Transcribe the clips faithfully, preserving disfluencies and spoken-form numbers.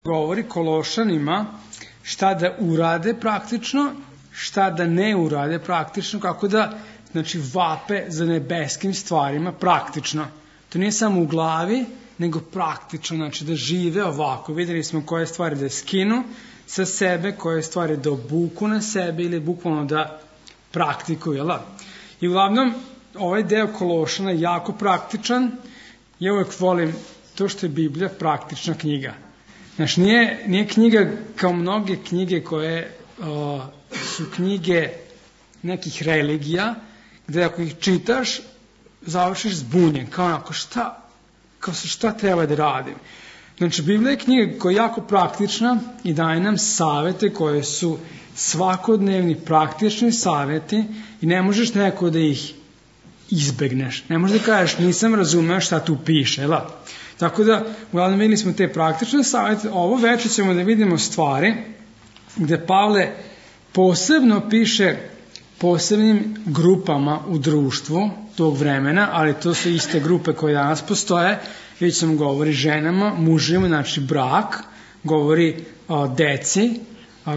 govori Kološanima šta da urade praktično, šta da ne urade praktično, kako da znači, vape za nebeskim stvarima praktično. To nije samo u glavi, nego praktično, znači da žive ovako. Videli smo koje stvari da skinu sa sebe, koje stvari da obuku na sebe ili bukvalno da praktikuju. Jel? I uglavnom, ovaj deo Kološana je jako praktičan. Ja uvek volim to što je Biblija praktična knjiga. Znači, nije, nije knjiga kao mnoge knjige koje o, su knjige nekih religija, gde ako ih čitaš, završiš zbunjen, kao onako šta, kao šta treba da radim. Znači, Biblija je knjiga koja je jako praktična i daje nam savete koje su svakodnevni praktični saveti i ne možeš neko da ih izbegneš. Ne možeš da kažeš nisam razumeo šta tu piše, jel? Tako da, uglavnom videli smo te praktične savete, ovo večer ćemo da vidimo stvari gde Pavle posebno piše posebnim grupama u društvu tog vremena, ali to su iste grupe koje danas postoje. Vidjet ćemo govori ženama, mužima, znači brak, govori o deci,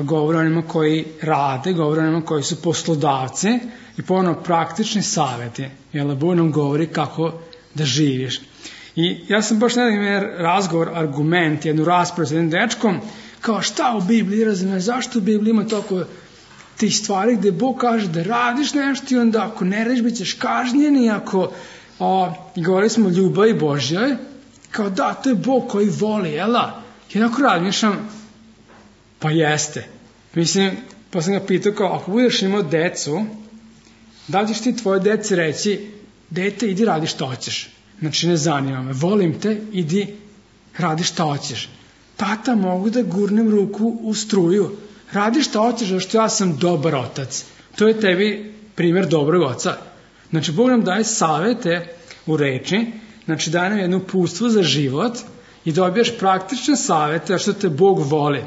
govori onima koji rade, govori onima koji su poslodavci i ponovno praktični saveti. Jel, Bog nam govori kako da živiš. I ja sam baš nedavno imao razgovor, argument, jednu raspravu sa jednim dečkom, kao šta u Bibliji razume, zašto u Bibliji ima toliko tih stvari gde Bog kaže da radiš nešto i onda ako ne radiš bit ćeš kažnjen i ako, a, i govorili smo o ljubavi Božjoj, kao da, to je Bog koji voli, jela? I onako razmišljam, pa jeste. Mislim, pa sam ga pitao kao, ako budeš imao decu, da li ćeš ti tvoje deci reći, dete, idi radi što hoćeš. Znači, ne zanima me, volim te, idi, radi šta hoćeš. Tata, mogu da gurnem ruku u struju. Radi šta hoćeš, zato što ja sam dobar otac. To je tebi primjer dobrog oca. Znači, Bog nam daje savete u reči, znači daje nam jedno uputstvo za život i dobijaš praktične savete, zato što te Bog voli.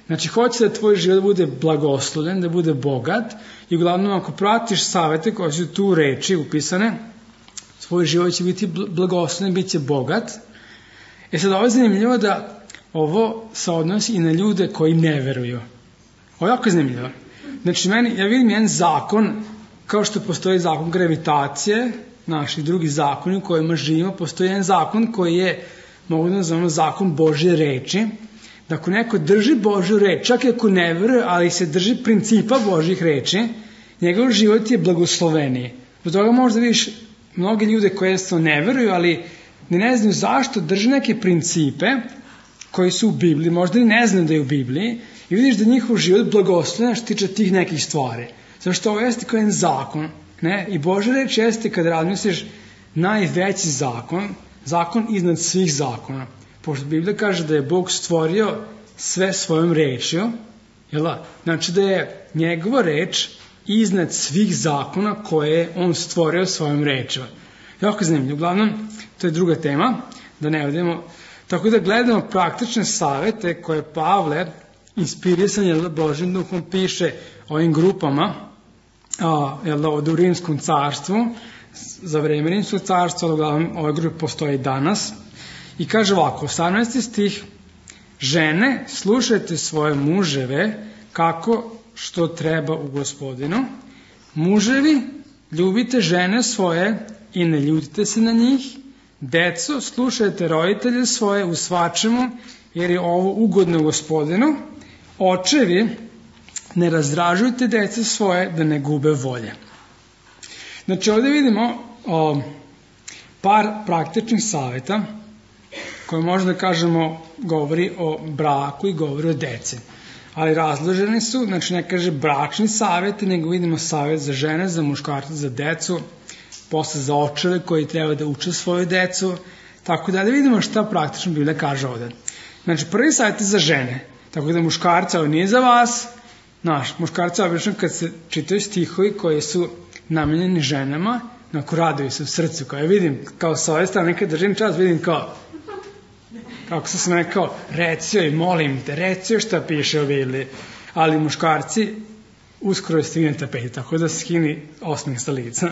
Znači, hoće da tvoj život bude blagoslovljen, da bude bogat i uglavnom ako pratiš savete koje su tu u reči upisane, tvoj život će biti blagoslovljen, bit će bogat. E sad, ovo je zanimljivo da ovo se odnosi i na ljude koji ne veruju. Ovo je jako zanimljivo. Znači, meni, ja vidim jedan zakon, kao što postoji zakon gravitacije, naši drugi zakoni u kojima živimo, postoji jedan zakon koji je, mogu da nazovemo, zakon Božje reči, da ako neko drži Božju reč, čak i ako ne veruje, ali se drži principa Božjih reči, njegov život je blagosloveniji. Zbog toga možda vidiš mnogi ljude koje jednostavno ne veruju, ali ne znaju zašto drže neke principe koji su u Bibliji, možda i ne znaju da je u Bibliji, i vidiš da njihov život blagosloven što tiče tih nekih stvari. Zašto ovo jeste kao jedan zakon, ne? I Božja reč jeste kada razmisliš najveći zakon, zakon iznad svih zakona. Pošto Biblija kaže da je Bog stvorio sve svojom rečju, jel? Znači da je njegova reč iznad svih zakona koje je on stvorio svojom rečima. Jako zanimljivo. Uglavnom, to je druga tema, da ne odemo. Tako da gledamo praktične savete koje Pavle, inspirisan je Božjim duhom, piše ovim grupama, a, jel da, ovdje u Rimskom carstvu, za vreme Rimskog carstva, uglavnom ove grupe postoje i danas. I kaže ovako, osamnaesti stih, žene, slušajte svoje muževe kako što treba u Gospodinu. Muževi, ljubite žene svoje i ne ljutite se na njih. Deco, slušajte roditelje svoje u svačemu, jer je ovo ugodno Gospodinu. Očevi, ne razdražujte deca svoje da ne gube volje. Znači, ovdje vidimo o, par praktičnih savjeta koje možda kažemo govori o braku i govori o deci. Ali razloženi su, znači ne kaže bračni savjeti, nego vidimo savjet za žene, za muškarce, za decu, posle za očeve koji treba da uče svoju decu, tako da da vidimo šta praktično Biblija kaže ovdje. Znači prvi savjet je za žene, tako da muškarca, ovo nije za vas, naš, muškarca obično kad se čitaju stihovi koji su namenjeni ženama, onako raduju se u srcu, kao ja vidim, kao sa ove strane kad držim čas, vidim kao, kako sam rekao, reci joj, molim te, reci joj šta piše o Bibliji. Ali muškarci uskoro je stigne tapeti, tako da skini osmeh sa lica.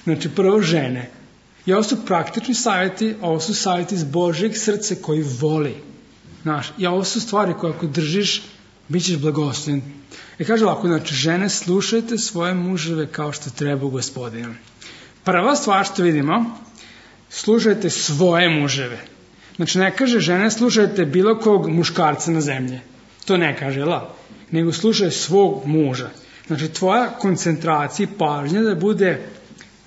Znači, prvo žene. I ovo su praktični savjeti, ovo su savjeti iz Božjeg srca koji voli. Znaš, i ovo su stvari koje ako držiš, bit ćeš blagoslovljen. I kaže ovako, znači, žene, slušajte svoje muževe kao što treba u Gospodinu. Prva stvar što vidimo, slušajte svoje muževe. Znači, ne kaže žene, slušajte bilo kog muškarca na zemlji. To ne kaže, la? Nego slušaj svog muža. Znači, tvoja koncentracija i pažnja da bude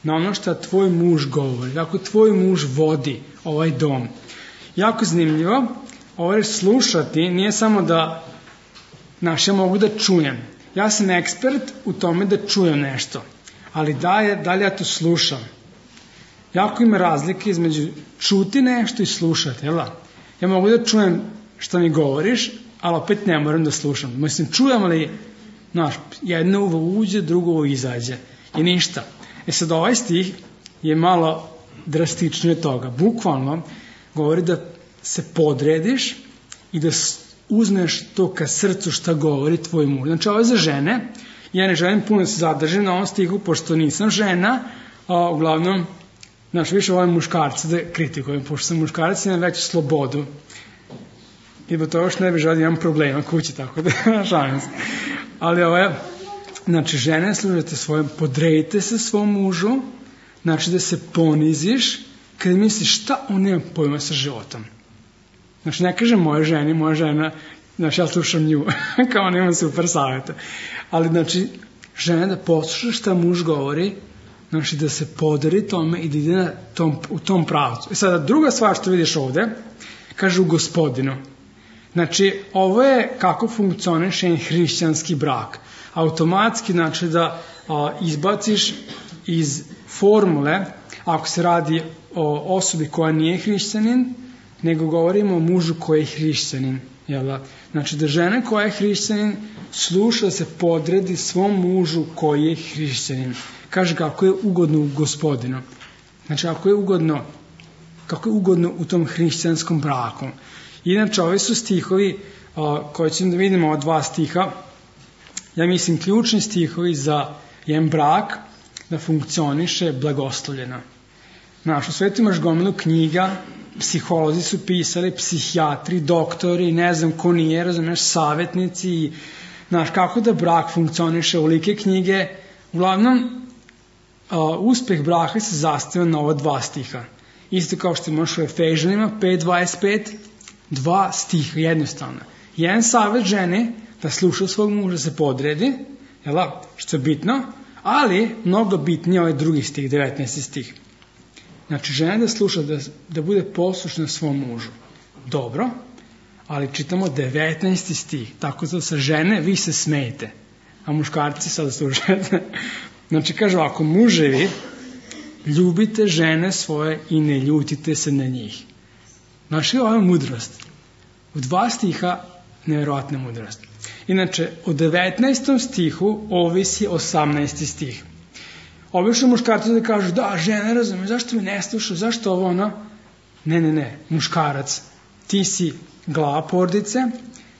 na ono što tvoj muž govori, kako tvoj muž vodi ovaj dom. Jako zanimljivo, ovo je slušati, nije samo da, znaš, ja mogu da čujem. Ja sam ekspert u tome da čujem nešto, ali da, je, da li ja to slušam? Jako ima razlike između čuti nešto i slušati, jel da? Ja mogu da čujem što mi govoriš, ali opet ne moram da slušam. Mislim, čujem, ali, znaš, jedno uvo uđe, drugo uvo izađe. I ništa. E sad, ovaj stih je malo drastičnije od toga. Bukvalno govori da se podrediš i da uzmeš to ka srcu šta govori tvoj muž. Znači, ovo je za žene. Ja ne želim puno da se zadržim na ovom stihu, pošto nisam žena, a uglavnom, znaš, više volim muškarca da kritikujem, pošto sam muškarac, imam veću slobodu. I bo to još ne bi želio da imam problema kući, tako da šalim se. Ali ovo je, znači, žene, služite svojom, podredite se svom mužu, znači da se poniziš, kada misliš šta on nema pojma sa životom. Znači, ne kažem moje ženi, moja žena, znači, ja slušam nju, kao on ima super savjeta. Ali, znači, žena da posluša šta muž govori, znači, da se podari tome i da ide na tom, u tom pravcu. I sada, druga stvar što vidiš ovde, kaže u Gospodinu. Znači, ovo je kako funkcioniše jedan hrišćanski brak. Automatski, znači, da a, izbaciš iz formule, ako se radi o osobi koja nije hrišćanin, nego govorimo o mužu koji je hrišćanin. Jel? Znači, da žena koja je hrišćanin sluša da se podredi svom mužu koji je hrišćanin. Kaže kako je ugodno u Gospodinu. Znači, ako je ugodno, kako je ugodno u tom hrišćanskom braku. Inače, ovi su stihovi a, koje ćemo da vidimo od dva stiha. Ja mislim, ključni stihovi za jedan brak da funkcioniše blagoslovljeno. Znaš, u svetu imaš gomilu knjiga, psiholozi su pisali, psihijatri, doktori, ne znam ko nije, razumeš, savjetnici, znaš, kako da brak funkcioniše, ulike knjige. Uglavnom, a, uspeh braka se zasniva na ova dva stiha. Isto kao što imaš u Efežanima pet dvadeset pet, dva stiha, jednostavno. Jedan savjet žene da sluša svog muža, se podredi, jela, što je bitno, ali mnogo bitnije ovaj drugi stih, devetnaesti stih. Znači, žena da sluša, da, da bude poslušna svom mužu. Dobro, ali čitamo devetnaesti stih, tako da sa žene vi se smejete, a muškarci sada slušate. Znači, kaže ovako, muževi, ljubite žene svoje i ne ljutite se na njih. Znači, ovo je mudrost. U dva stiha nevjerojatna mudrost. Inače, u devetnaestom stihu ovisi osamnaesti stih. Obično muškarci da kažu, da, žena, razume, zašto me ne sluša, zašto ovo ono? Ne, ne, ne, muškarac, ti si glava porodice,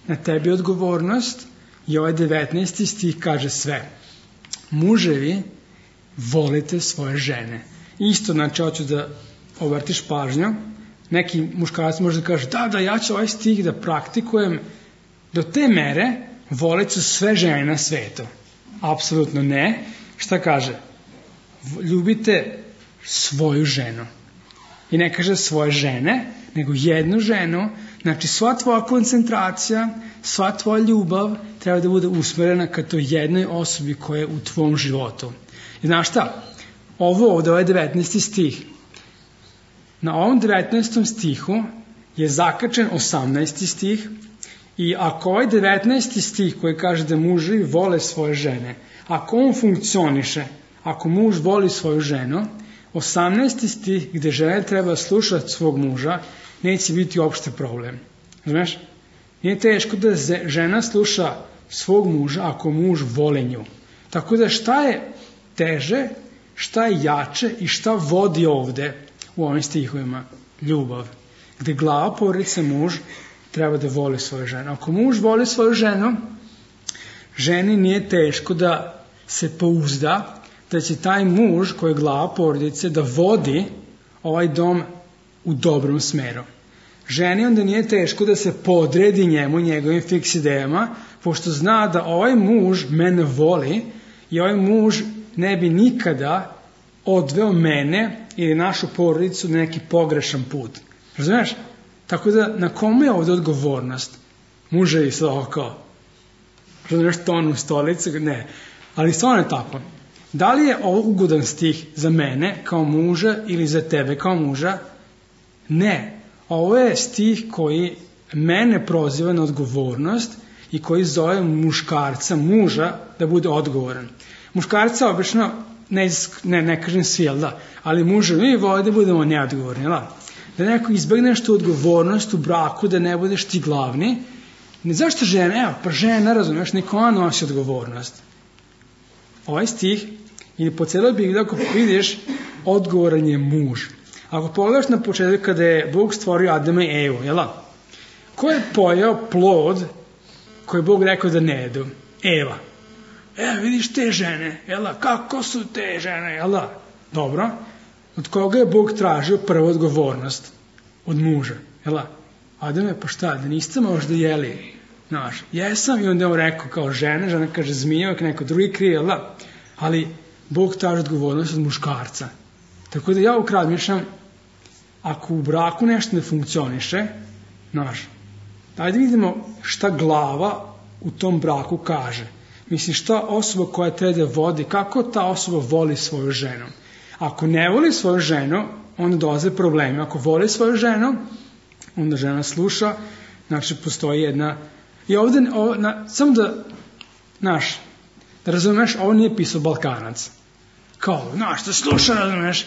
na tebi je odgovornost i ovaj devetnaesti stih kaže sve. Muževi, volite svoje žene. Isto, znači, hoću da obratiš pažnju, neki muškarac može da kaže, da, da, ja ću ovaj stih da praktikujem do te mere, volit ću sve žene na svetu. Apsolutno ne. Šta kaže? Ljubite svoju ženu. I ne kaže svoje žene, nego jednu ženu. Znači, sva tvoja koncentracija, sva tvoja ljubav treba da bude usmerena ka toj jednoj osobi koja je u tvom životu. I znaš šta? Ovo ovde, ovaj devetnaesti stih. Na ovom devetnaestom stihu je zakačen osamnaesti stih i ako ovaj devetnaesti stih koji kaže da muževi vole svoje žene, ako on funkcioniše, ako muž voli svoju ženu, osamnaesti stih gde žena treba slušati svog muža, neće biti uopšte problem. Znaš? Nije teško da žena sluša svog muža ako muž voli nju. Tako da šta je teže, šta je jače i šta vodi ovde u ovim stihovima? Ljubav. Gde glava porodice muž treba da voli svoju ženu. Ako muž voli svoju ženu, ženi nije teško da se pouzda da će taj muž koji je glava porodice da vodi ovaj dom u dobrom smeru. Ženi onda nije teško da se podredi njemu, njegovim fiks idejama, pošto zna da ovaj muž mene voli i ovaj muž ne bi nikada odveo mene ili našu porodicu na neki pogrešan put. Razumiješ? Tako da, na komu je ovdje odgovornost? Muževi se oko. Razumiješ ton u stolicu? Ne. Ali stvarno je tako. Da li je ovo ugodan stih za mene kao muža ili za tebe kao muža? Ne. Ovo je stih koji mene proziva na odgovornost i koji zove muškarca, muža, da bude odgovoran. Muškarca obično, ne, ne, ne kažem svi, jel da, ali muževi vole da budemo neodgovorni, jel da? Da neko izbegneš tu odgovornost u braku, da ne budeš ti glavni. Ne, zašto žena? Evo, pa žena, razumiješ, niko ona nosi odgovornost. Ovaj stih, ili po cijeloj Bibliji, ako vidiš, odgovoran je muž. Ako pogledaš na početku kada je Bog stvorio Adama i Evu, jel da? Ko je pojeo plod koji je Bog rekao da ne jedu? Eva. Evo, vidiš te žene, jel da? Kako su te žene, jel da? Dobro. Od koga je Bog tražio prvu odgovornost? Od muža, jel da? Adame, pa šta, da niste možda jeli? Znaš, jesam, i onda je on rekao kao žena, žena kaže zmija, neko drugi krije, jel da? Ali Bog traži odgovornost od muškarca. Tako da ja ukrad mišljam, ako u braku nešto ne funkcioniše, znaš, ajde vidimo šta glava u tom braku kaže. Mislim, šta osoba koja treba da vodi, kako ta osoba voli svoju ženu. Ako ne voli svoju ženu, onda dolaze problemi. Ako voli svoju ženu, onda žena sluša, znači postoji jedna... I ovdje, ovo, na, samo da, znaš, da razumeš, ovo nije pisao Balkanac. Kao, znaš, da sluša, razumeš.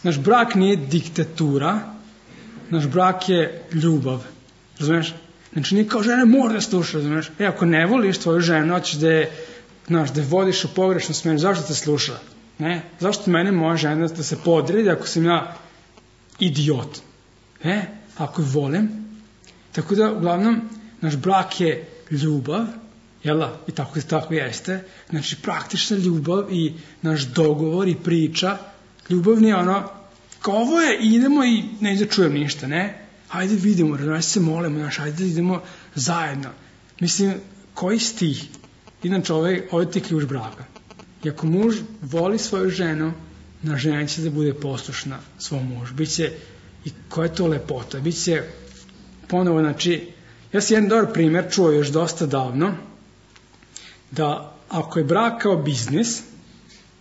Naš brak nije diktatura, naš brak je ljubav, razumeš. Znači nije kao žena mora da sluša, razumeš. E, ako ne voliš tvoju ženu, hoćeš da je, znaš, da je vodiš u pogrešnu smjeru, zašto te sluša? Ne? Zašto mene moja žena da se podredi ako sam ja idiot? E, ako je volim. Tako da, uglavnom, naš brak je ljubav, jel da? I tako, tako jeste. Znači, praktična ljubav i naš dogovor i priča. Ljubav nije ono, kao ovo je, idemo i ne da čujem ništa, ne? Hajde vidimo, razumiješ, se molimo, znaš, hajde da idemo zajedno. Mislim, koji stih? Inače, ovaj, ovaj ti ključ braka. I ako muž voli svoju ženu, na žena će da bude poslušna svom mužu. Biće, i koja je to lepota? Biće, ponovo, znači, ja sam jedan dobar primjer čuo još dosta davno, da ako je brak kao biznis,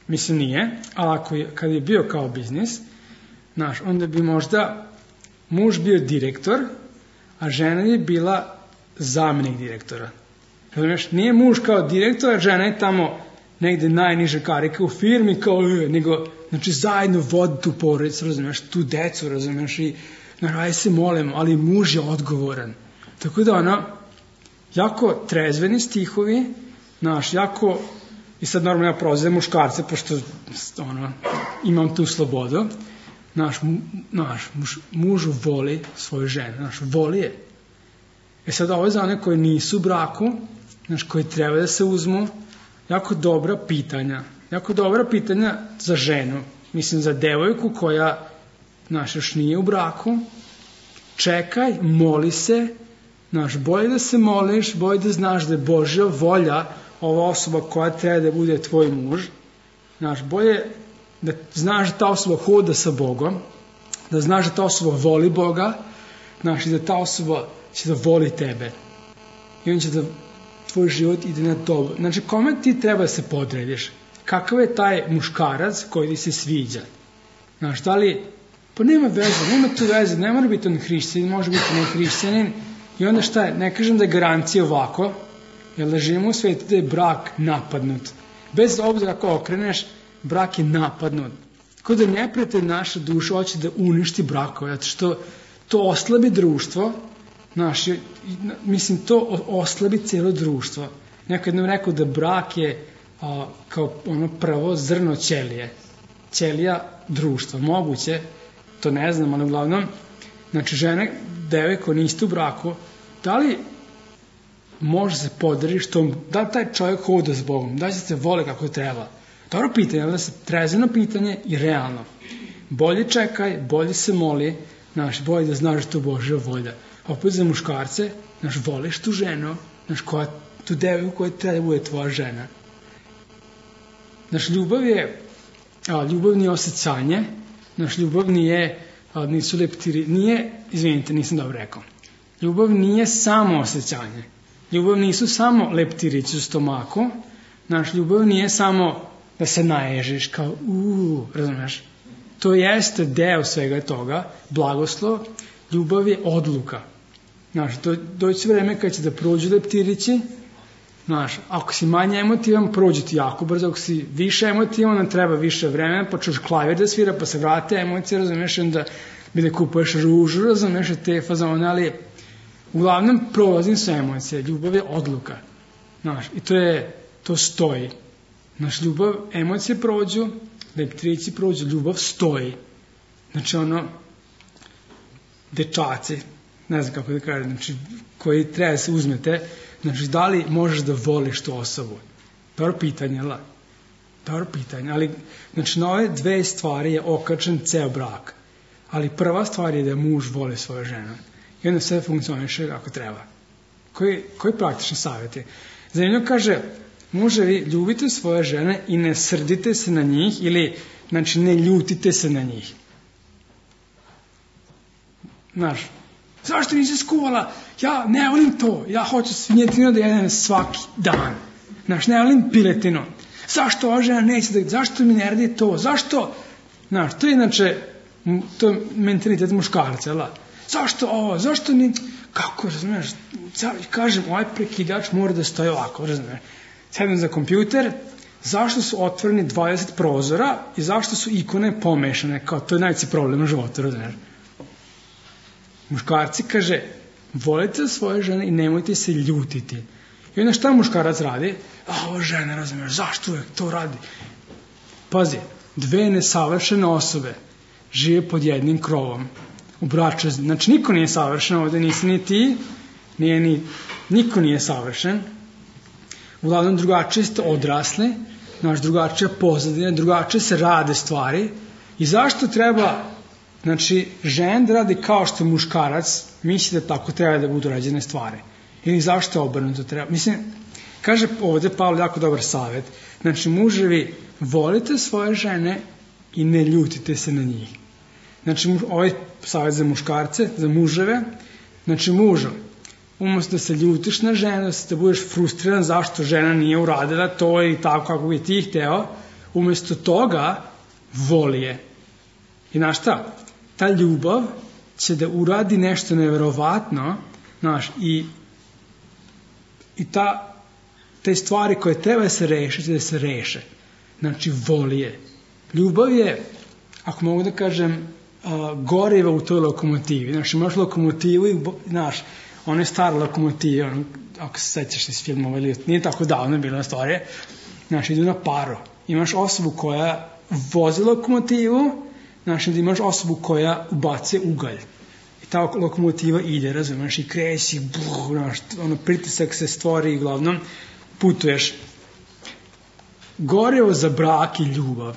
mislim nije, ali ako je, kad je bio kao biznis, znaš, onda bi možda muž bio direktor, a žena je bila zamjenik direktora. Razumiješ, nije muž kao direktor, a žena je tamo negde najniže karika u firmi, kao, nego, znači, zajedno vodi tu porodicu, razumiješ, tu decu, razumiješ, i, znaš, aj se molimo, ali muž je odgovoran. Tako da, ono, jako trezveni stihovi, znaš, jako, i sad normalno ja prozivam muškarce, pošto, ono, imam tu slobodu, naš, naš muž, muž voli svoju ženu, naš, voli je. E sad, ovo je za one koji nisu u braku, naš, koji treba da se uzmu, jako dobra pitanja, jako dobra pitanja za ženu, mislim za devojku koja, naš, još nije u braku, čekaj, moli se, naš, bolje da se moliš, bolje da znaš da je Božja volja ova osoba koja treba da bude tvoj muž, naš, bolje da znaš da ta osoba hoda sa Bogom, da znaš da ta osoba voli Boga, znaš, i da ta osoba će da voli tebe. I on će da tvoj život ide na dobro. Znači, kome ti treba da se podrediš? Kakav je taj muškarac koji ti se sviđa? Znaš, da li, pa nema veze, nema tu veze, ne mora biti on hrišćanin, može biti ne hrišćanin, i onda šta je, ne kažem da je garancija ovako, jer da živimo u svijetu da je brak napadnut. Bez obzira kako okreneš, brak je napadnut. Tako da neprijatelj naša duša hoće da uništi brakove, zato što to oslabi društvo, naše, mislim, to oslabi cijelo društvo. Neko jednom rekao da brak je a, kao ono prvo zrno ćelije. Ćelija društva. Moguće, to ne znam, ali uglavnom, znači žene, devojko, niste u braku, da li može se podrediš tom, da li taj čovjek hoda s Bogom, da li se vole kako treba? Dobro pitanje, ali da se trezveno pitanje i realno. Bolje čekaj, bolje se moli, Znaš, bolje da znaš da to Božja volja. A opet za muškarce, znaš, voliš tu ženu, znaš, koja, tu devojku koja treba da bude tvoja žena. Znaš, ljubav je, a, ljubav nije osjećanje, znaš, ljubav nije, a, nisu leptiri, nije, izvinite, nisam dobro rekao. Ljubav nije samo osjećanje. Ljubav nisu samo leptirići u stomaku, znaš, ljubav nije samo da se naježiš kao, uuu, razumeš? To jeste deo svega toga, blagoslov, ljubav je odluka. Znaš, do, doći vreme kad će da prođu leptirići, znaš, ako si manje emotivan, prođe ti jako brzo, ako si više emotivan, nam treba više vremena, pa čuš klavir da svira, pa se vrate emocije, razumeš, onda bi da kupuješ ružu, razumeš, te fazone, ali uglavnom prolazim sve emocije, ljubav je odluka, znaš, i to je, to stoji. Znaš, ljubav, emocije prođu, leptirići prođu, ljubav stoji. Znači, ono, dečaci, ne znam kako da kažem, znači, koji treba da se uzmete, znači, da li možeš da voliš tu osobu? Dobro pitanje, la? Dobro pitanje, ali, znači, na ove dve stvari je okačen ceo brak. Ali prva stvar je da muž voli svoju ženu. I onda sve funkcioniše kako treba. Koji, koji praktični savjet je? Zanimljivo kaže, muževi, ljubite svoje žene i ne srdite se na njih ili, znači, ne ljutite se na njih. Znaš, zašto nisi skuvala? Ja ne volim to. Ja hoću svinjetinu da jedem svaki dan. Znaš, ne volim piletinu. Zašto ova žena neće da... Zašto mi ne radi to? Zašto? Znaš, to je inače, to je mentalitet muškarca, jel? Zašto ovo? Zašto ni... Kako, razumiješ? Kažem, ovaj prekidač mora da stoji ovako, razumiješ? Sedem za kompjuter, zašto su otvoreni dvadeset prozora i zašto su ikone pomešane? Kao, to je najveći problem u životu, razumiješ? Muškarci kaže, volite svoje žene i nemojte se ljutiti. I onda šta muškarac radi? A, ova žena, razumiješ, zašto uvijek to radi? Pazi, dve nesavršene osobe žive pod jednim krovom. U braču, znači niko nije savršen ovde, nisi ni ti, nije ni, niko nije savršen. Uglavnom drugačije ste odrasli, znaš, drugačija pozadina, drugačije se rade stvari. I zašto treba, znači, žen da radi kao što muškarac misli da tako treba da budu rađene stvari? Ili zašto obrnuto treba? Mislim, kaže ovde Pavle jako dobar savjet. Znači, muževi, volite svoje žene i ne ljutite se na njih. Znači, ovaj savjet za muškarce, za muževe, znači, mužo, umesto da se ljutiš na ženu, da budeš frustriran zašto žena nije uradila to ili tako kako bi ti hteo, umesto toga voli je. I znaš šta? Ta ljubav će da uradi nešto neverovatno, znaš, i, i ta, te stvari koje treba da se reše, će da se reše. Znači, voli je. Ljubav je, ako mogu da kažem, uh, goriva u toj lokomotivi. Znači, imaš lokomotivu i, znaš, ona je stara lokomotiva, on, ako se sećaš iz filmova, ili nije tako davno bila stvarija, znači, idu na paro. Imaš osobu koja vozi lokomotivu, znači, da imaš osobu koja ubacuje ugalj. I ta lokomotiva ide, razumiješ, i kreći, buh, znaš, ono, pritisak se stvori i glavnom putuješ. Gorivo za brak i ljubav.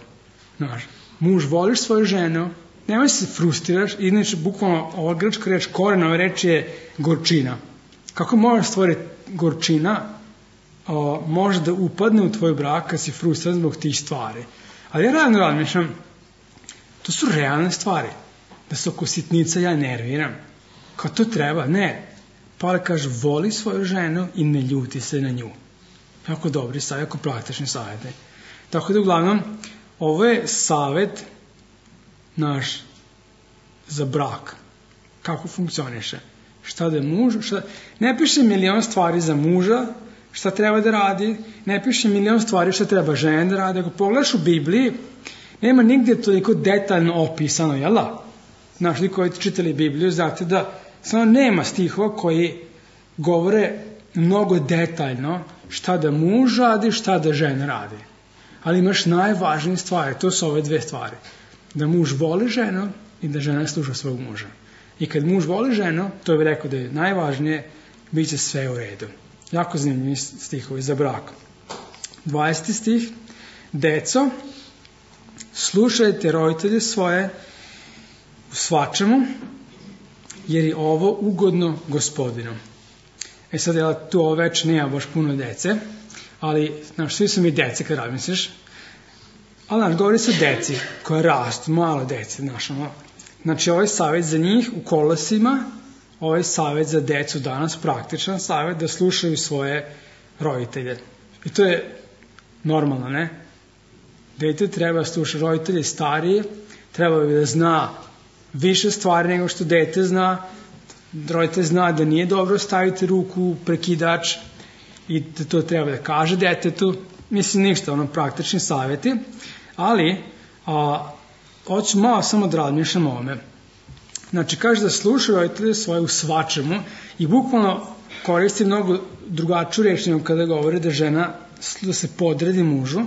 Znaš, muž, voliš svoju ženu, nemoj se frustriraš, inače, bukvalno, ova grčka reč, koren ove reči je gorčina. Kako možeš stvoriti gorčina, o, može da upadne u tvoj brak kad si frustriran zbog tih stvari. Ali ja radno razmišljam, to su realne stvari. Da se oko sitnica ja nerviram. Kao to treba? Ne. Pavle kaže, voli svoju ženu i ne ljuti se na nju. Jako dobri savjet, jako praktični savjeti. Tako da, uglavnom, ovo je savjet naš za brak. Kako funkcioniše. Šta da je muž, šta... Ne piše milion stvari za muža, šta treba da radi, ne piše milion stvari šta treba žena da radi. Ako pogledaš u Bibliji, nema nigde toliko detaljno opisano, jel da? Znaš, li koji čitali Bibliju, znate da samo nema stihova koji govore mnogo detaljno šta da muž radi, šta da žena radi. Ali imaš najvažnije stvari, to su ove dve stvari. Da muž voli ženu i da žena sluša svog muža. I kad muž voli ženu, to bih rekao da je najvažnije, bit će sve u redu. Jako zanimljivi stihovi za brak. dvadeseti stih. Deco, slušajte roditelje svoje u svačemu jer je ovo ugodno Gospodinu. E sad, ja tu ovo već nema baš puno dece, ali, znaš, svi su mi dece kad razmisliš, ali, znaš, govori se o deci koja rastu, malo dece, znaš, ono. Znači, ovaj savjet za njih u Kolosima, ovaj savjet za decu danas, praktičan savjet da slušaju svoje roditelje. I to je normalno, ne? Dete treba slušati roditelje starije, treba bi da zna više stvari nego što dete zna, roditelj zna da nije dobro staviti ruku u prekidač i da to treba da kaže detetu, mislim ništa, ono praktični savjeti, ali a, hoću malo samo da razmišljam o ovome. Znači, kaže da slušaju roditelje svoje u svačemu i bukvalno koristi mnogo drugačiju reč nego kada govori da žena da se podredi mužu,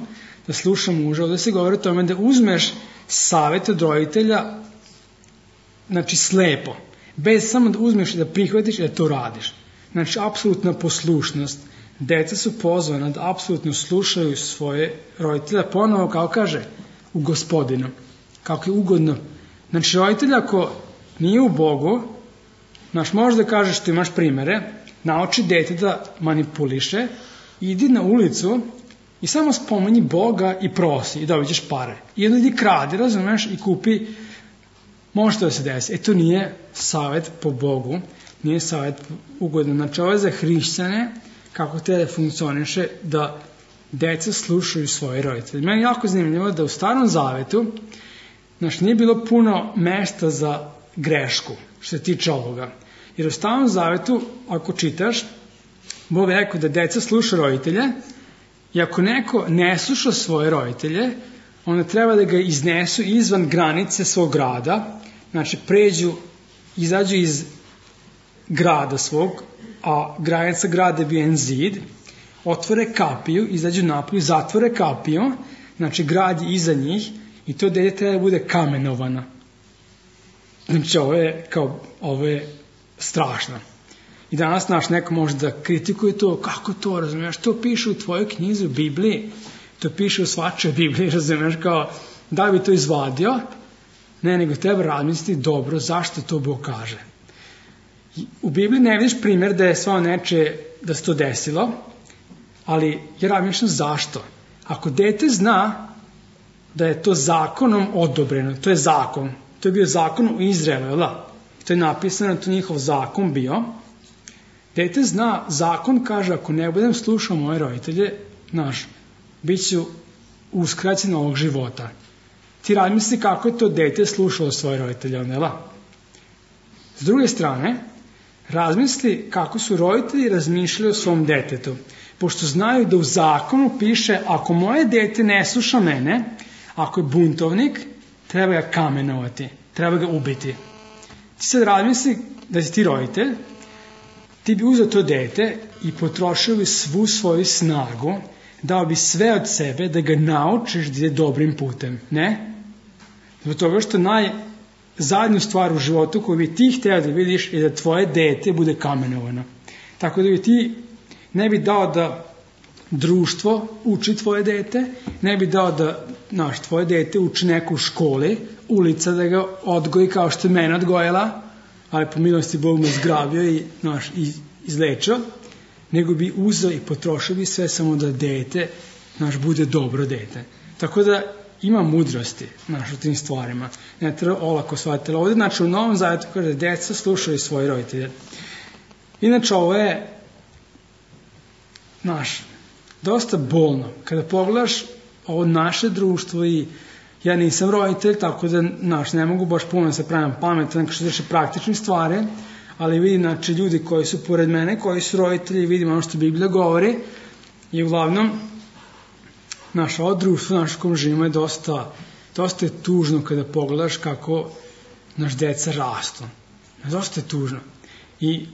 da sluša muža, ovdje se govori o tome da uzmeš savjet od roditelja, znači slepo, bez samo da uzmeš i da prihvatiš i da to radiš. Znači, apsolutna poslušnost. Deca su pozvana da apsolutno slušaju svoje roditelja, ponovo, kao kaže, u Gospodinu, kako je ugodno. Znači, roditelj ako nije u Bogu, znaš, možeš da kažeš što imaš primere, nauči dete da manipuliše, idi na ulicu i samo spomeni Boga i prosi i dobit ćeš pare. I onda idi kradi, razumeš, i kupi, može to da se desi. E to nije savjet po Bogu, nije savjet ugodno. Znači, ovo je za hrišćane, kako te da funkcioniše, da deca slušaju svoje roditelje. Meni je jako zanimljivo da u Starom Zavetu, znači, nije bilo puno mesta za grešku, što se tiče ovoga. Jer u Starom Zavetu, ako čitaš, Bog je rekao da deca sluša roditelje i ako neko ne sluša svoje roditelje, onda treba da ga iznesu izvan granice svog grada, znači pređu, izađu iz grada svog, a granica grada je bio jedan zid, otvore kapiju, izađu napolju, zatvore kapiju, znači grad je iza njih i to dete treba da bude kamenovano. Znači ovo je, kao, ovo je strašno. I danas naš neko može da kritikuje to, kako to, razumiješ, to piše u tvojoj knjizi, u Bibliji, to piše u svačoj Bibliji, razumiješ, kao, da bi to izvadio, ne, nego treba razmisliti dobro zašto to Bog kaže. U Bibliji ne vidiš primjer da je svao neče, da se to desilo, ali ja razmišljam zašto. Ako dete zna da je to zakonom odobreno, to je zakon, to je bio zakon u Izraelu, da? To je napisano, to je njihov zakon bio. Dete zna, zakon kaže, ako ne budem slušao moje roditelje, znaš, bit ću uskraćen ovog života. Ti razmisli kako je to dete slušalo svoje roditelje, onda. S druge strane, razmisli kako su roditelji razmišljali o svom detetu. Pošto znaju da u zakonu piše, ako moje dete ne sluša mene, ako je buntovnik, treba ga kamenovati, treba ga ubiti. Ti sad razmisli da si ti roditelj, ti bi uzeo to dete i potrošio bi svu svoju snagu, dao bi sve od sebe da ga naučiš da ide dobrim putem, ne? Zbog toga što najzadnju stvar u životu koju bi ti htio da vidiš je da tvoje dete bude kamenovano. Tako da bi ti ne bi dao da društvo uči tvoje dete, ne bi dao da naš, tvoje dete uči neku u školi, ulica da ga odgoji kao što je mene odgojila, ali po milosti Bog me zgrabio i, naš, i izlečio, nego bi uzeo i potrošio bi sve samo da dete naš, bude dobro dete. Tako da ima mudrosti naš, u tim stvarima. Ne treba olako shvatiti. Ovdje, znači, u Novom Zavetu kaže da deca slušaju svoje roditelje. Inače, ovo je naš, dosta bolno. Kada pogledaš ovo naše društvo i ja nisam roditelj, tako da naš, ne mogu baš puno se pravim pametan što se tiče praktičnih stvari, ali vidim, znači, ljudi koji su pored mene, koji su roditelji, vidim ono što Biblija govori i uglavnom naše ovo društvo, naše kom živimo je dosta, dosta je tužno kada pogledaš kako naš deca rastu. Dosta je tužno. I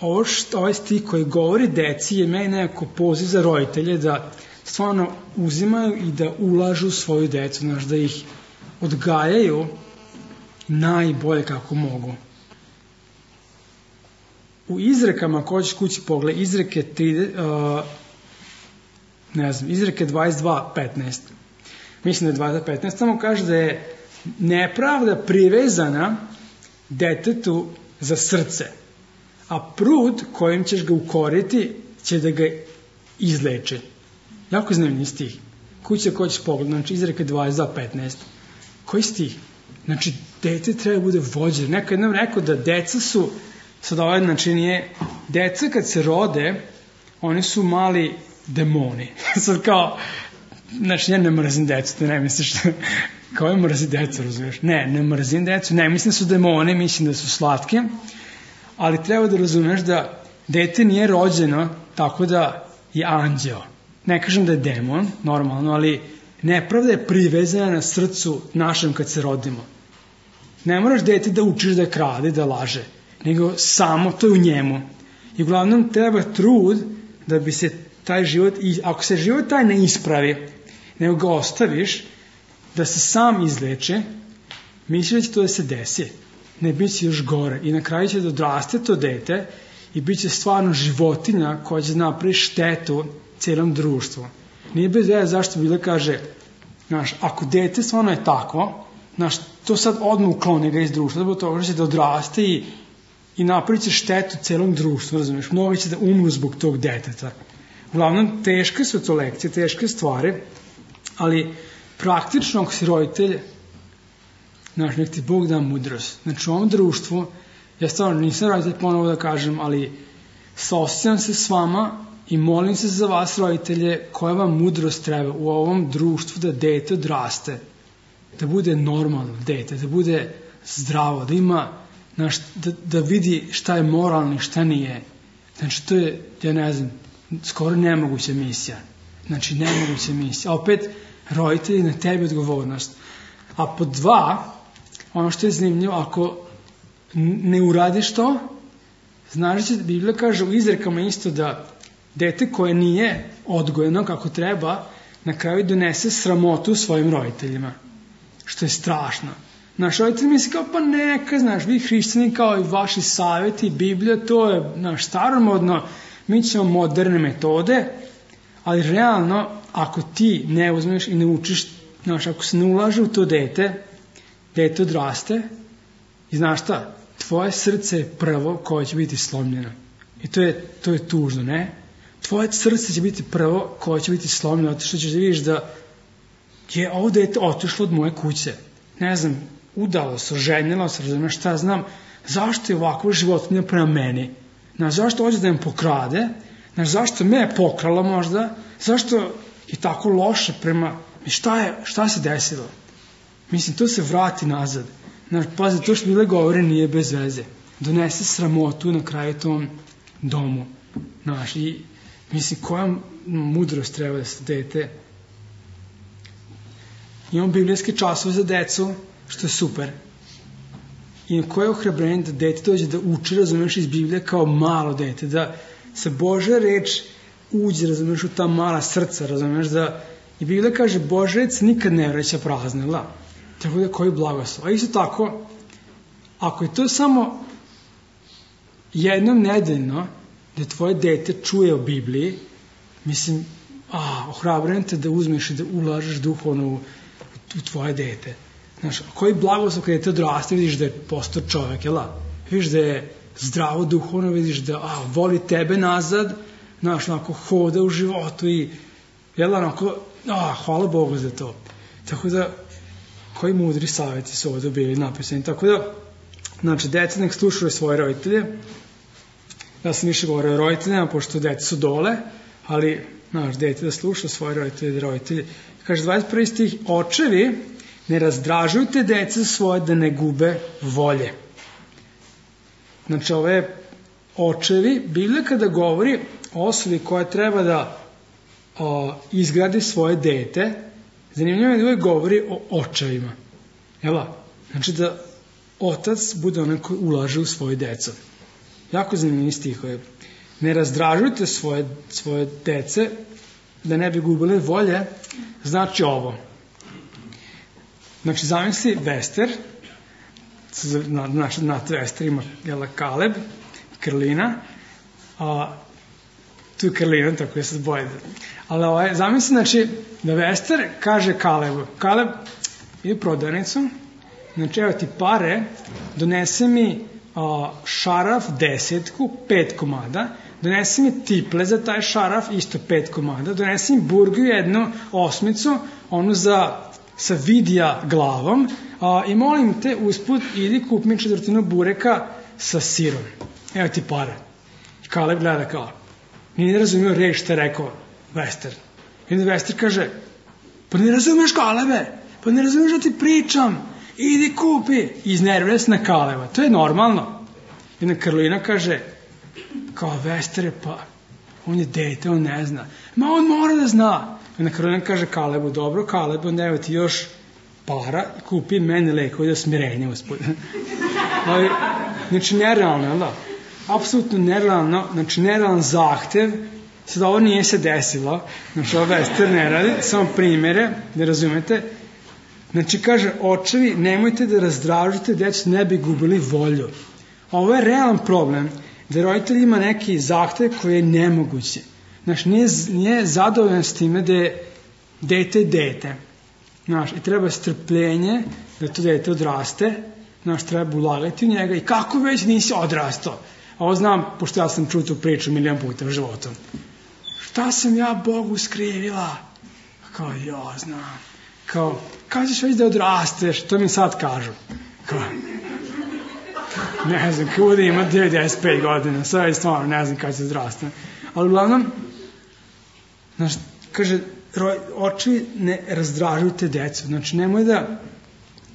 ovo što, ovaj stih koji govori deci je meni nekako poziv za roditelje da stvarno uzimaju i da ulažu u svoju decu, znaš, da ih odgajaju najbolje kako mogu. U izrekama, ako hoćeš kući pogled, izreke, uh, ne znam, izreke dvadeset dva petnaest. Mislim da je dvadeset petnaest, samo kaže da je nepravda privezana detetu za srce. A prud kojim ćeš ga ukoriti će da ga izleče. Jako zanimljiv stih. Kuća ko ćeš pogledati, znači izreka dvadeset dva petnaest. Koji stih? Znači, dete treba bude vođer. Neko jednom rekao da deca su, sad ovaj znači nije, deca kad se rode, oni su mali demoni. Sad kao, znači ja ne mrzim decu, to ne misliš što, kao je mrzi decu, razumiješ? Ne, ne mrzim decu, ne mislim da su demoni, mislim da su slatke, ali treba da razumeš da dete nije rođeno tako da je anđeo. Ne kažem da je demon, normalno, ali nepravda je privezana na srcu našem kad se rodimo. Ne moraš dete da učiš da krade, da laže, nego samo to je u njemu. I uglavnom treba trud da bi se taj život, ako se život taj ne ispravi, nego ga ostaviš, da se sam izleče, misli da će to da se desi. Ne, bit će još gore. I na kraju će da odraste to dete i bit će stvarno životinja koja će napravi štetu cijelom društvu. Nije bez veze zašto Biblia kaže, znaš, ako dete stvarno je takvo, znaš, to sad odmah ukloni ga iz društva, zbog toga će da odraste i, i napravit će štetu cijelom društvu, razumiješ, mnogi će da umru zbog tog deteta. Uglavnom, teške su to lekcije, teške stvari, ali praktično ako si roditelj, znaš, nek ti Bog da mudrost. Znači u ovom društvu, ja stvarno nisam roditelj ponovo da kažem, ali saosjećam se s vama i molim se za vas roditelje koja vam mudrost treba u ovom društvu da dete odraste, da bude normalno dete, da bude zdravo, da ima, znaš, da, da vidi šta je moralno i šta nije. Znači to je, ja ne znam, skoro nemoguća misija. Znači nemoguća misija. A opet, roditelji, na tebi odgovornost. A po dva, ono što je zanimljivo, ako ne uradiš to, znaš da Biblija kaže u izrekama isto da dete koje nije odgojeno kako treba, na kraju donese sramotu svojim roditeljima. Što je strašno. Naš roditelj misli kao, pa neka, znaš, vi hrišćani kao i vaši savjeti, Biblija, to je naš staromodno, mi ćemo moderne metode, ali realno, ako ti ne uzmeš i ne učiš, znaš, ako se ne ulaže u to dete, dete odraste i znaš šta, tvoje srce je prvo koje će biti slomljeno. I to je, to je tužno, ne? Tvoje srce će biti prvo koje će biti slomljeno, zato što ćeš da vidiš da je ovo dete otišlo od moje kuće. Ne znam, udalo se, ženilo se, razumiješ šta znam, zašto je ovakva životinja prema meni? Znaš, zašto hoće da me pokrade? Znaš, zašto me je pokrala možda? Zašto je tako loše prema... Šta je, šta se desilo? Mislim, to se vrati nazad. Znaš, pazi, to što Biblia govori nije bez veze. Donese sramotu na kraju tom domu. Znaš, i mislim, koja mudrost treba da se dete... Imamo biblijske časove za decu, što je super. I koje je ohrabrenje da dete dođe da uči, razumiješ, iz Biblije kao malo dete, da se Božja reč uđe, razumiješ, u ta mala srca, razumiješ, da i Biblija kaže Božja reč nikad ne vraća prazna, la. Tako da koji blagoslov. A isto tako, ako je to samo jednom nedeljno da tvoje dete čuje o Bibliji, mislim, a, ohrabrenje te da uzmeš i da ulažeš duhovno u, u tvoje dete. Znaš, koji blagoslov kada te odraste, vidiš da je postao čovjek, jel? Vidiš da je zdravo duhovno, vidiš da a, voli tebe nazad, znaš, onako hoda u životu i, jel, onako, a, hvala Bogu za to. Tako da, koji mudri savjeti su ovdje bili napisani. Tako da, znači, deca nek slušaju svoje roditelje. Ja sam više govorio o roditeljima, pošto deca su dole, ali, znaš, dete da sluša svoje roditelje i roditelje. Kaže, dvadeset prvi stih, očevi, ne razdražujte deca svoje da ne gube volje. Znači, ove očevi, Biblija kada govori o osobi koja treba da o, izgradi svoje dete, zanimljivo je da uvijek govori o očevima. Jel? Znači da otac bude onaj koji ulaže u svoje deco. Jako zanimljivi stihovi. Ne razdražujte svoje, svoje dece da ne bi gubile volje, znači ovo. Znači, zamisli Vester, znači, na Vester ima jela, Kaleb, Krlina, a tu je Krlina, tako je sad boje. Ali ovaj, zamisli, znači, da Vester kaže Kalebu, Kaleb, ide u prodavnicu, znači, evo ti pare, donese mi a, šaraf desetku, pet komada, donesi mi tiple za taj šaraf, isto pet komada, donesi mi burgu jednu osmicu, onu za, sa vidija glavom, a, i molim te usput, idi kup mi četvrtinu bureka sa sirom. Evo ti pare. Kaleb gleda kao, nije razumio reč što je rekao Vester. I onda Vester kaže, pa ne razumeš Kalebe, pa ne razumeš da ti pričam, idi kupi. I iznervira se na Kaleba, to je normalno. I onda Karolina kaže, kao Vestere, pa on je dete, on ne zna. Ma on mora da zna. I onda Karolina kaže Kalebu, dobro Kaleb, onda evo ti još para i kupi meni leko da smirenje uspod. Ali, znači nerealno, jel da? Apsolutno nerealno, znači nerealan zahtev. Sad ovo nije se desilo, znači ovo Vester ne radi, samo primere, da razumete. Znači kaže, očevi, nemojte da razdražite decu, ne bi gubili volju. Ovo je realan problem, da roditelj ima neki zahtev koji je nemoguće. Znači nije, nije zadovoljan s time da je dete dete. Znaš, i treba strpljenje da to dete odraste, znaš, treba ulagati u njega i kako već nisi odrastao. A ovo znam, pošto ja sam čuo tu priču milijon puta u životu. Šta sam ja Bogu skrivila? Kao, ja znam. Kao, kada ćeš već da odrasteš? To mi sad kažu. Kao, ne znam, kuda ima devedeset pet godina, sve je stvarno, ne znam kada će odrastane. Ali uglavnom, znaš, kaže, očevi ne razdražujte decu. Znači, nemoj da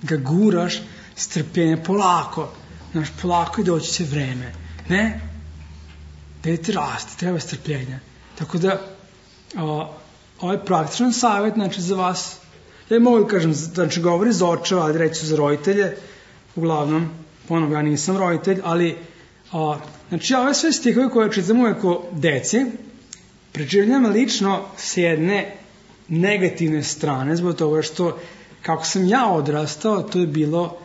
ga guraš strpljenje polako. Znaš, polako i doći će vreme. Ne? Dete raste, treba strpljenja. Tako da, o, ovaj praktičan savjet, znači, za vas, ja mogu da kažem, znači, govori za očeva, ali reći za roditelje, uglavnom, ponovno, ja nisam roditelj, ali, o, znači, ove sve stihove koje čitam uvek o deci, preživljam lično s jedne negativne strane, zbog toga što, kako sam ja odrastao, to je bilo,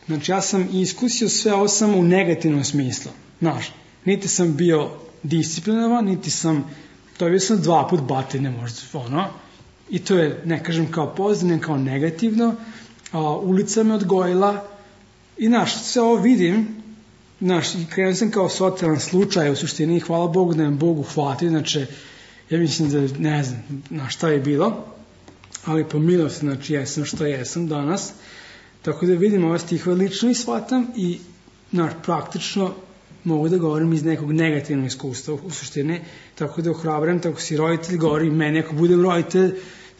znači, ja sam iskusio sve ovo samo u negativnom smislu. Znaš, niti sam bio disciplinovan, niti sam, to je bio sam dva put batine možda, ono, i to je, ne kažem kao pozitivno, kao negativno, a, ulica me odgojila i, znaš, sve ovo vidim, znaš, krenuo sam kao socijalan slučaj, u suštini, i hvala Bogu da me Bogu hvati, znači, ja mislim da, ne znam, na šta je bilo, ali po milosti, znači, jesam što jesam danas, tako da vidim ove stihove lično i shvatam i, znaš, praktično mogu da govorim iz nekog negativnog iskustva u suštini, tako da ohrabram, tako si roditelj, govorim meni, ako budem roditelj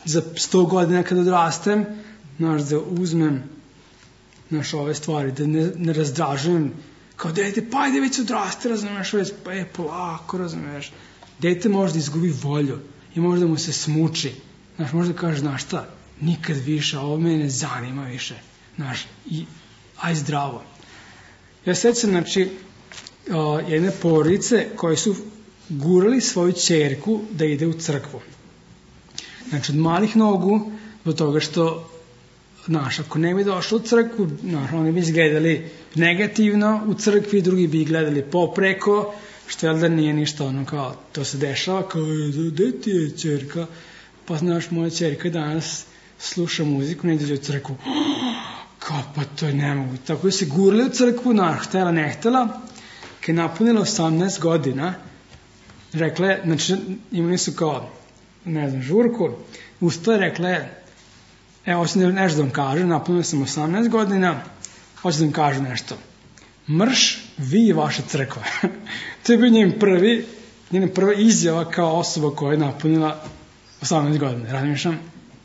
za sto godina kad odrastem, znaš, da uzmem, znaš, ove stvari, da ne, ne razdražujem, kao dete, pa ajde već odraste, razumeš, već, pa je polako, razumeš, dete može da izgubi volju i može da mu se smuči, znaš, može da kaže, znaš šta, nikad više, ovo me ne zanima više, znaš, i aj zdravo. Ja sećam, znači, o, jedne porodice koje su gurali svoju ćerku da ide u crkvu. Znači, od malih nogu, do toga što, znaš, ako ne bi došlo u crkvu, znaš, oni bi izgledali negativno u crkvi, drugi bi gledali popreko, što je da nije ništa ono kao, to se dešava, kao, gde ti je ćerka? Pa, znaš, moja ćerka danas sluša muziku, ne ide u crkvu. Kao, pa to je nemoguće. Tako da se gurali u crkvu, znaš, htela, ne htela, kad je napunila osamnaest godina, rekle, znači, imali su kao, ne znam, žurku, ustale, rekle, evo, hoću nešto da vam kažem, napunila sam osamnaest godina, hoću da vam kažem nešto. Mrš, vi i vaša crkva. To je bio njen prvi, njena prva izjava kao osoba koja je napunila osamnaest godina. Razmišljam,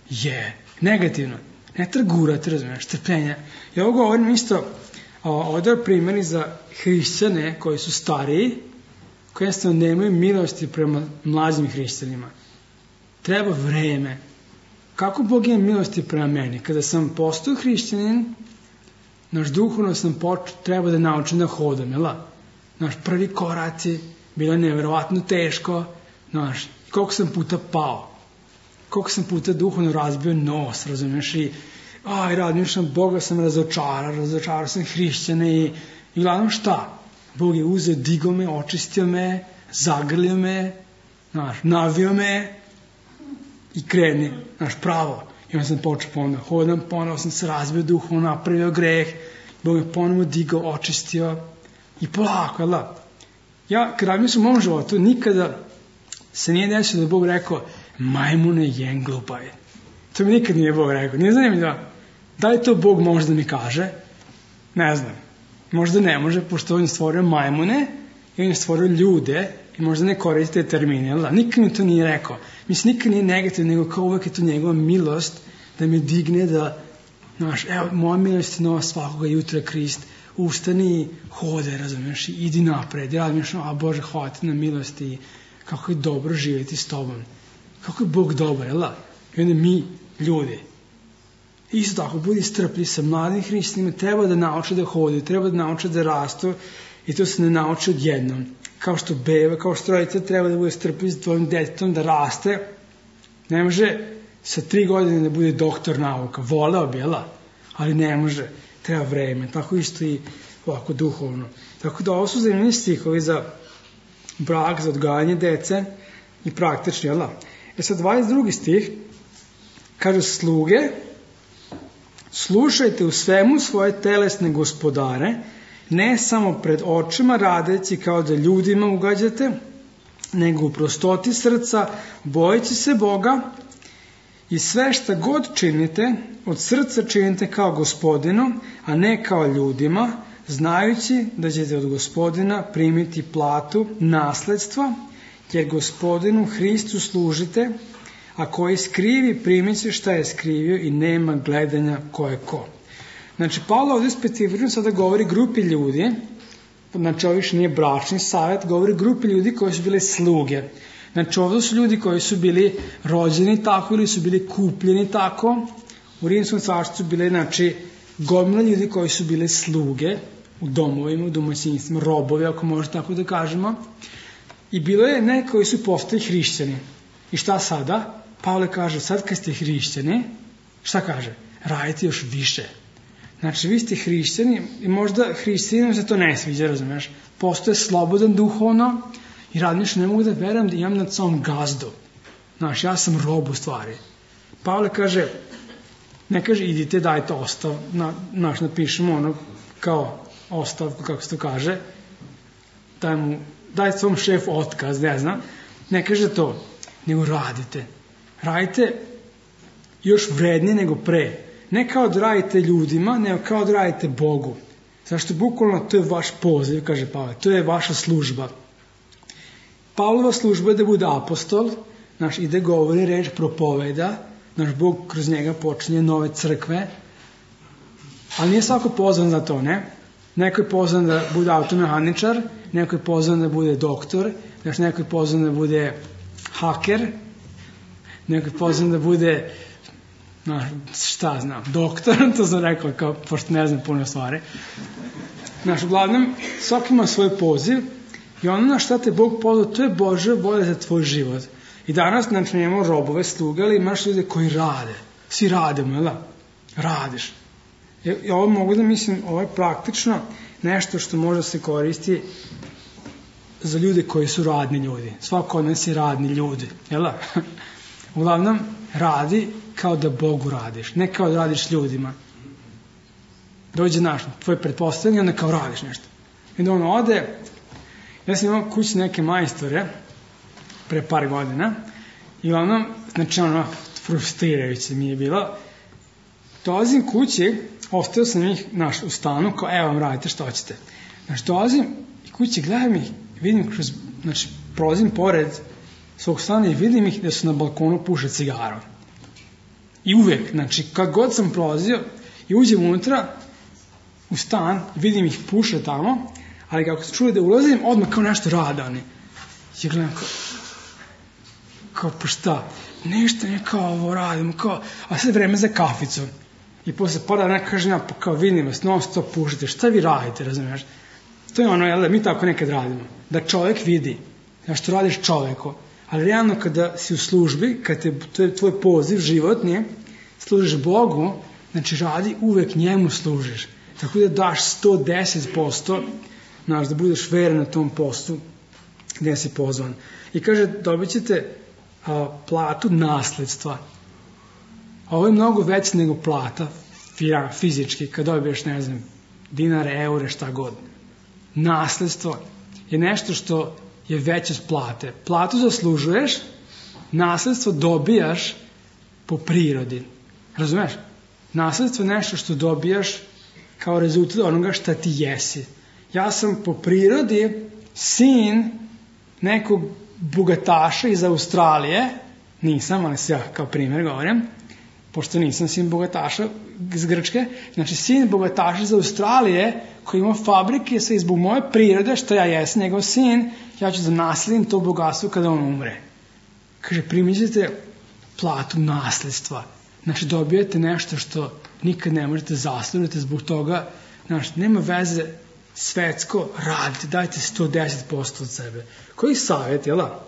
je, negativno. Ne trgurati, razumiješ, trpljenja. I ovo govorim isto, ovdje primjeri za hrišćane koji su stariji, koji jednostavno nemaju milosti prema mlađim hrišćanima. Treba vreme. Kako Bog ima milosti prema meni? Kada sam postao hrišćanin, naš duhovno sam počeo, treba da naučim da hodam, jel? Naš prvi koraci, bilo je nevjerovatno teško, naš, koliko sam puta pao, koliko sam puta duhovno razbio nos, razumiješ, i aj, razmišljam, Boga sam razočarao, razočarao sam hrišćane i, i gledam šta? Bog je uzeo, digao me, očistio me, zagrlio me, naš, navio me i kreni, naš, pravo. I onda sam počeo ponovno, hodam, ponovno sam se razbio duhovno, napravio greh, Bog me ponovno digao, očistio, I polako, jel da? Ja, kad razmišljam u mom životu, nikada se nije desilo da je Bog rekao, majmune jenglupaj. To mi nikad nije Bog rekao. Nije znam da, da li to Bog može da mi kaže? Ne znam. Možda ne može, pošto on je stvorio majmune i on je stvorio ljude i možda ne koriste termine, jel da? Nikad mi to nije rekao. Mislim, nikad nije negativno, nego kao uvek je to njegova milost da me digne da, znaš, evo, moja milost je nova svakoga jutra, Krist, ustani i hode, razumiješ, i idi napred, i razumiješ, a Bože, hvala ti na milosti i kako je dobro živjeti s tobom. Kako je Bog dobar, jel da? I onda mi, ljudi, isto tako, budi strpljiv sa mladim hrišćanima, treba da nauče da hodaju, treba da nauče da rastu i to se ne nauče odjednom. Kao što beba, kao što roditelj treba da bude strpljiv s tvojim detetom, da raste. Ne može sa tri godine da bude doktor nauka, voleo bi, jel da? Ali ne može, treba vreme. Tako isto i ovako duhovno. Tako da ovo su zanimljivi stihovi za brak, za odgajanje dece i praktični, jel da? E sad, dvadeset drugi stih kaže, sluge, slušajte u svemu svoje telesne gospodare, ne samo pred očima radeći kao da ljudima ugađate, nego u prostoti srca, bojeći se Boga i sve šta god činite, od srca činite kao Gospodinu, a ne kao ljudima, znajući da ćete od Gospodina primiti platu nasledstva, jer Gospodinu Hristu služite, a koji skrivi primit će šta je skrivio i nema gledanja ko je ko. Znači, Pavle ovdje specifično sada govori grupi ljudi, znači ovo više nije bračni savjet, govori grupi ljudi koji su bili sluge. Znači, ovdje su ljudi koji su bili rođeni tako ili su bili kupljeni tako. U Rimskom carstvu su bili, znači, gomila ljudi koji su bili sluge u domovima, u domaćinstvima, robovi, ako može tako da kažemo. I bilo je ne koji su postali hrišćani. I šta sada? Pavle kaže, sad kad ste hrišćani, šta kaže? Radite još više. Znači, vi ste hrišćani i možda hrišćanima se to ne sviđa, razumiješ? Postoje slobodan duhovno i radniš, ne mogu da verujem da imam nad sobom gazdu. Znaš, ja sam rob u stvari. Pavle kaže, ne kaže, idite, dajte ostav, na, naš napišemo ono kao ostavku, kako se to kaže, daj mu, daj svom šefu otkaz, ne znam, ne kaže to, nego radite. Radite još vrednije nego pre. Ne kao da radite ljudima, nego kao da radite Bogu. Zašto bukvalno to je vaš poziv, kaže Pavle, to je vaša služba. Pavlova služba je da bude apostol, naš ide govori reč, propoveda, naš Bog kroz njega počinje nove crkve, ali nije svako pozvan za to, ne? Neko je pozvan da bude automehaničar, neko je pozvan da bude doktor, znaš, neko je pozvan da bude haker, neko je pozvan da bude, znaš, šta znam, doktor, to sam rekao, kao, pošto ne znam puno stvari. Znaš, uglavnom, svaki ima svoj poziv i ono na šta te Bog pozvao, to je Božja volja za tvoj život. I danas, znači, nemamo robove, sluge, ali imaš ljude koji rade. Svi radimo, jel da? Radiš. I ovo mogu da mislim, ovo je praktično nešto što može se koristi za ljude koji su radni ljudi. Svako od nas je radni ljudi, jel da? Uglavnom, radi kao da Bogu radiš, ne kao da radiš ljudima. Dođe naš, tvoj pretpostavljanje, onda kao radiš nešto. I onda on ode, ja sam imao kući neke majstore, pre par godina, i uglavnom, znači ono, frustrirajuće mi je bilo, dolazim kući, ostavio sam ih, naš, u stanu, kao, evo vam radite što hoćete. Znači, dolazim i kući, gledam ih, vidim kroz, znači, prolazim pored svog stana i vidim ih da su na balkonu puše cigaru. I uvek, znači, kad god sam prolazio i uđem unutra, u stan, vidim ih puše tamo, ali kako se čuje da ulazim, odmah kao nešto rade oni. I gledam kao, kao, pa šta, nešto ne kao ovo radimo, kao, a sad vreme za kaficu. I posle pada neka kaže, ja, pa kao vidim vas, non stop pušite, šta vi radite, razumiješ? To je ono, jel da, mi tako nekad radimo, da čovjek vidi, ja što radiš čovjeku, ali realno kada si u službi, kada te, to je tvoj poziv životni, služiš Bogu, znači radi, uvek njemu služiš. Tako da daš sto deset posto, znaš, da budeš veren na tom poslu gdje si pozvan. I kaže, dobit ćete a, platu nasledstva. A ovo je mnogo veće nego plata fizički, kad dobiješ, ne znam, dinare, eure, šta god. Nasledstvo je nešto što je veće od plate. Platu zaslužuješ, nasledstvo dobijaš po prirodi. Razumeš? Nasledstvo je nešto što dobijaš kao rezultat onoga šta ti jesi. Ja sam po prirodi sin nekog bogataša iz Australije, nisam, ali se ja kao primjer govorim, pošto nisam sin bogataša iz Grčke, znači sin bogataša iz Australije koji ima fabrike, sve zbog moje prirode, što ja jesam njegov sin, ja ću da nasledim to bogatstvo kada on umre. Kaže, primićete platu nasledstva. Znači, dobijete nešto što nikad ne možete zaslužiti zbog toga, znači, nema veze svetsko, radite, dajte sto deset posto od sebe. Koji savjet, jel da?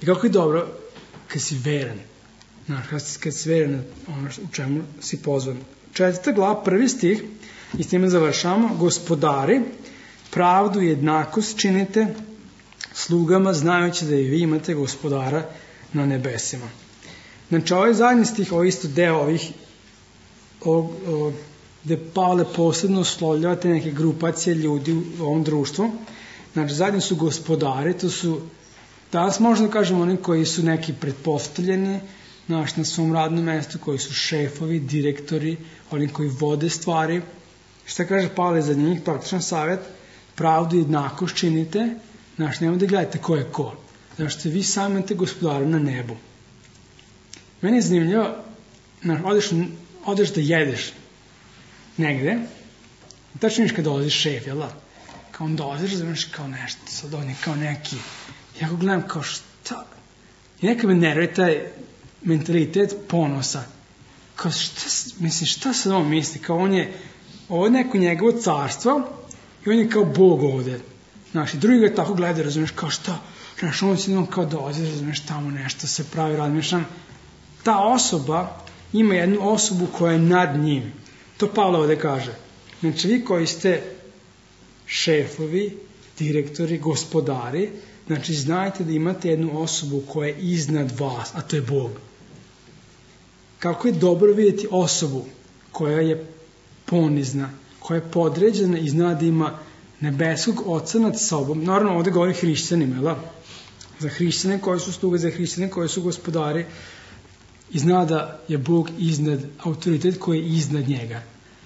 I kako je dobro kad si veran. Znači, kad si veran ono u čemu si pozvan. Četvrta glava, prvi stih, i s time završamo, gospodari, pravdu i jednakost činite slugama, znajući da i vi imate gospodara na nebesima. Znači, ovaj zadnji stih, ovo isto deo ovih, ovog, ovog, gde Pavle posebno uslovljava te neke grupacije ljudi u ovom društvu. Znači, zadnji su gospodari, to su, danas možemo da kažemo oni koji su neki pretpostavljeni, znači, na svom radnom mestu, koji su šefovi, direktori, oni koji vode stvari. Šta kaže Pavle za njih? Praktičan savjet, pravdu i jednakost činite, znači, nemoj da gledate ko je ko. Znači, vi sami imate gospodara na nebu. Meni je zanimljivo, znači, odeš, odeš da jedeš negde, i tačno viš kad dolazi šef, jel da? Kao on dolaziš, znaš, kao nešto, sad on je kao neki, ja go gledam kao šta, i neka me nervira taj mentalitet ponosa, kao šta, mislim, šta sad on misli, kao on je, ovo je neko njegovo carstvo, i on je kao Bog ovde, znaš, i drugi ga tako gleda, razumiješ, kao šta, znaš, on se on kao dolazi, razumiješ, tamo nešto se pravi, razmišljam, ta osoba ima jednu osobu koja je nad njim. To Pavle ovde kaže. Znači, vi koji ste šefovi, direktori, gospodari, znači, znajte da imate jednu osobu koja je iznad vas, a to je Bog. Kako je dobro vidjeti osobu koja je ponizna, koja je podređena i zna da ima nebeskog oca nad sobom. Naravno, ovde govori hrišćanima, jel da? Za hrišćane koji su sluge, za hrišćane koji su gospodari, i zna da je Bog iznad, autoritet koji je iznad njega.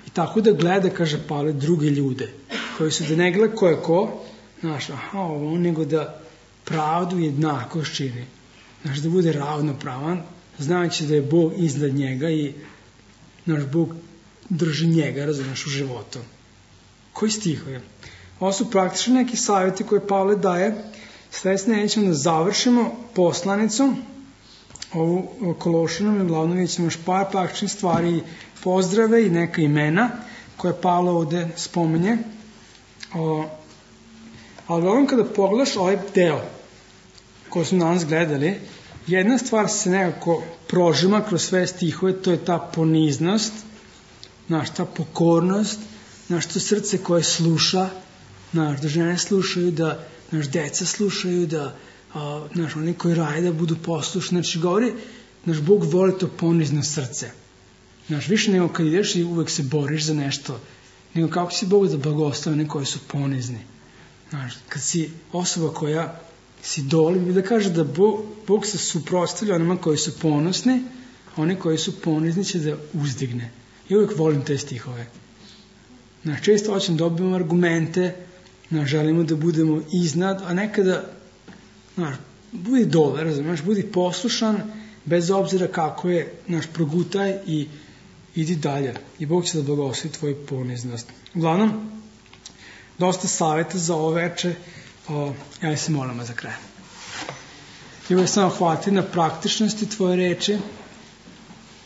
I tako da gleda, kaže Pavle, druge ljude, koji su da ne gleda ko je ko, znaš, aha, ovo, nego da pravdu i jednakost čini. Znaš, da bude ravnopravan, znajući da je Bog iznad njega i naš Bog drži njega, razumiješ, u životu. Koji stihovi? Ovo su praktično neki savjeti koje Pavle daje. Sljedeće nećemo da završimo poslanicu, ovu Kološanom, i glavno vidjet ćemo još par praktičnih stvari, pozdrave i neka imena koje Pavle ovde spominje. O, ali gledam kada pogledaš ovaj deo koji smo danas gledali, jedna stvar se nekako prožima kroz sve stihove, to je ta poniznost, znaš, ta pokornost, znaš, to srce koje sluša, znaš, da žene slušaju, da naš deca slušaju, da a, naš, oni koji rade da budu poslušni. Znači, govori, naš Bog voli to ponizno srce. Znaš, više nego kad ideš i uvek se boriš za nešto, nego kako si Bog da blagoslovi one koji su ponizni. Znaš, kad si osoba koja si doli, da kaže da Bog, Bog se suprotstavlja onima koji su ponosni, a oni koji su ponizni će da uzdigne. I uvek volim te stihove. Znaš, često hoćem da dobijemo argumente, znaš, želimo da budemo iznad, a nekada, znaš, budi dole, razumiješ, budi poslušan, bez obzira kako je, znaš, progutaj i idi dalje. I Bog će da blagoslovi tvoju poniznost. Uglavnom, dosta savjeta za ovo veče, o, ja se molimo za kraj. I uvek samo hvati na praktičnosti tvoje reči.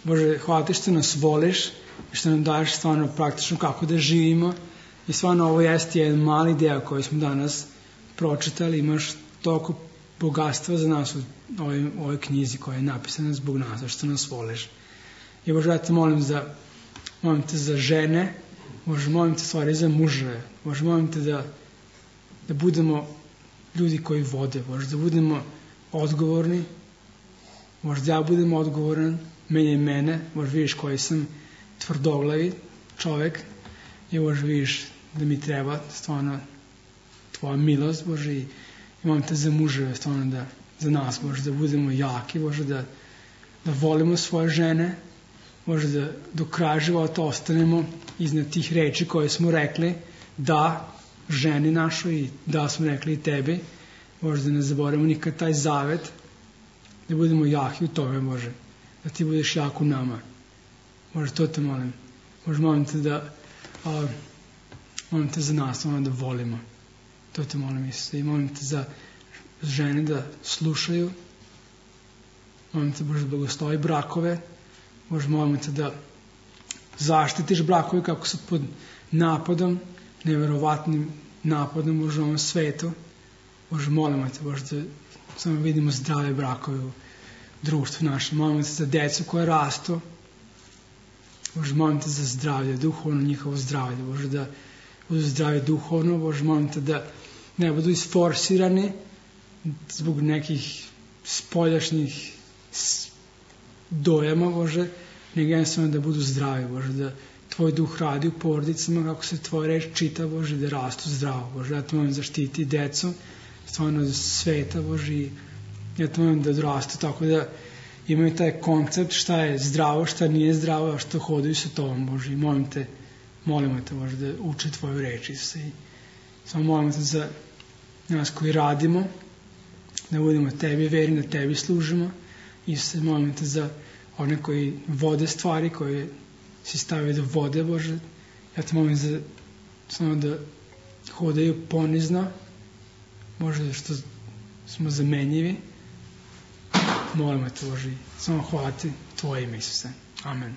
Bože, hvala ti što nas voliš i što nam daješ stvarno praktično kako da živimo. I stvarno ovo jeste jedan mali deo koji smo danas pročitali. Imaš toliko bogatstva za nas u ovoj, ovoj knjizi koja je napisana zbog nas, što nas voliš. I Bože, ja te molim, za, molim te za žene, Bože, molim te stvari za muževe, Bože, molim te da, da budemo ljudi koji vode, Bože, da budemo odgovorni, Bože, da ja budem odgovoran, menjaj mene, Bože, vidiš koji sam tvrdoglavi čovek i Bože, vidiš da mi treba stvarno tvoja milost, Bože, i molim te za muževe, stvarno da, za nas, Bože, da budemo jaki, Bože, da, da volimo svoje žene, Bože, da do kraja života ostanemo iznad tih reči koje smo rekli, da ženi našoj i da smo rekli i tebi, Bože, da ne zaboravimo nikad taj zavet, da budemo jaki u tome, Bože, da ti budeš jak u nama. Bože, to te molim. Bože, molim te da a, molim te za nas, molim da volimo. To te molim, Isuse. I molim te za žene da slušaju. Molim te, Bože, da blagoslovi brakove. Bože, molim te da zaštitiš brakove kako su pod napadom, neverovatnim napadom, Bože, u ovom svetu. Bože, molimo te, Bože, da samo vidimo zdrave brakove u društvu našem. Molimo te za decu koje rastu. Bože, molim te za zdravlje, duhovno njihovo zdravlje. Bože, da budu zdravi duhovno. Bože, molim te da ne budu isforsirani zbog nekih spoljašnjih dojama, Bože, nego jednostavno da budu zdravi, Bože, da tvoj duh radi u porodicama, kako se tvoja reč čita, Bože, da rastu zdravo, Bože, ja te molim zaštiti decu, stvarno od sveta, Bože, i ja te molim da odrastu tako da imaju taj koncept šta je zdravo, šta nije zdravo, a što hodaju sa tobom, Bože, i molim te, molimo te, Bože, da uče tvoju reč, Isuse, i samo molimo te za nas koji radimo, da budemo tebi verni, da tebi služimo, Isuse, molim te za one koji vode stvari, koje si stavio da vode, Bože, ja te molim za samo da hodaju ponizno, Bože, što smo zamenjivi, molimo te, Bože, samo hvala ti tvoje ime, Isuse. Amen.